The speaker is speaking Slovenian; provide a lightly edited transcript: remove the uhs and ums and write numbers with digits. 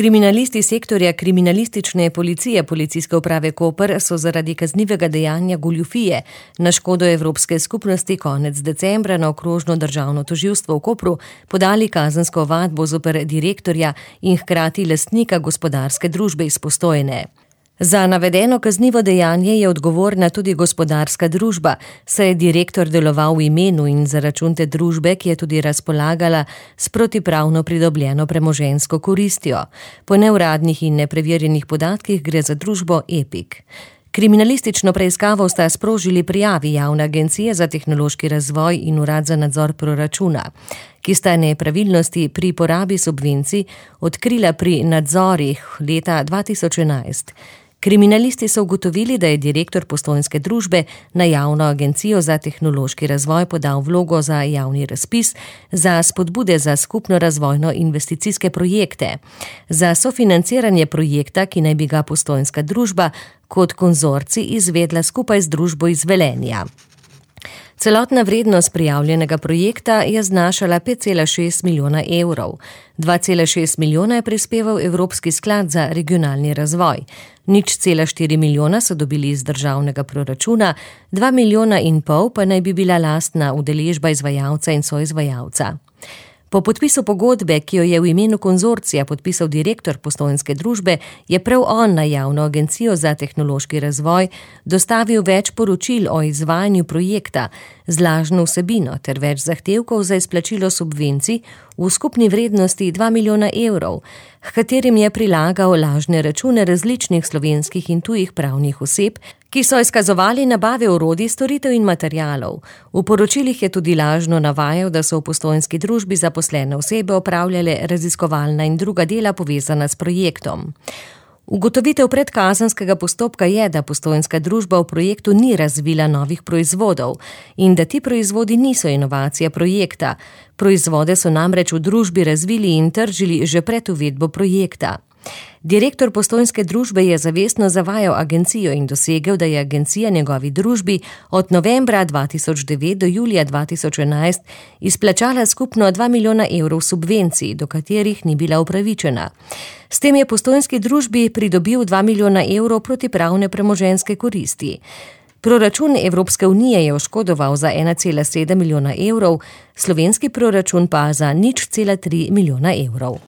Kriminalisti sektorja kriminalistične policije Policijske uprave Koper so zaradi kaznivega dejanja goljufije na škodo Evropske skupnosti konec decembra na okrožno državno tožilstvo v Kopru podali kazensko ovadbo zoper direktorja in hkrati lastnika gospodarske družbe iz Postojne. Za navedeno kaznivo dejanje je odgovorna tudi gospodarska družba, saj je direktor deloval v imenu in za račun te družbe, ki je tudi razpolagala s protipravno pridobljeno premoženjsko koristjo. Po neuradnih in nepreverjenih podatkih gre za družbo Epic. Kriminalistično preiskavo sta sprožili prijavi Javne agencije za tehnološki razvoj in Urad za nadzor proračuna, ki sta nepravilnosti pri porabi subvencij odkrila pri nadzorih leta 2011. Kriminalisti so ugotovili, da je direktor postojnske družbe na Javno agencijo za tehnološki razvoj podal vlogo za javni razpis za spodbude za skupno razvojno investicijske projekte, za sofinanciranje projekta, ki naj bi ga postojnska družba kot konzorcij izvedla skupaj z družbo iz Velenja. Celotna vrednost prijavljenega projekta je znašala 5,6 milijona evrov. 2,6 milijona je prispeval Evropski sklad za regionalni razvoj. 0,4 milijona so dobili iz državnega proračuna, 2,5 milijona pa naj bi bila lastna udeležba izvajalca in soizvajalca. Po podpisu pogodbe, ki jo je v imenu konzorcija podpisal direktor postojnske družbe, je prav on na Javno agencijo za tehnološki razvoj dostavil več poročil o izvajanju projekta z lažno vsebino ter več zahtevkov za izplačilo subvencij v skupni vrednosti 2 milijona evrov, h katerim je prilagal lažne račune različnih slovenskih in tujih pravnih oseb, ki so izkazovali nabave orodij, storitev in materialov. V poročilih je tudi lažno navajal, da so v postojnski družbi zaposlene osebe opravljale raziskovalna in druga dela povezana s projektom. Ugotovitev predkazenskega postopka je, da postojnska družba v projektu ni razvila novih proizvodov in da ti proizvodi niso inovacija projekta. Proizvode so namreč v družbi razvili in tržili že pred uvedbo projekta. Direktor postojnske družbe je zavestno zavajal agencijo in dosegel, da je agencija njegovi družbi od novembra 2009 do julija 2011 izplačala skupno 2 milijona evrov subvencij, do katerih ni bila upravičena. S tem je postojnski družbi pridobil 2 milijona evrov protipravne premoženjske koristi. Proračun Evropske unije je oškodoval za 1,7 milijona evrov, slovenski proračun pa za 0,3 milijona evrov.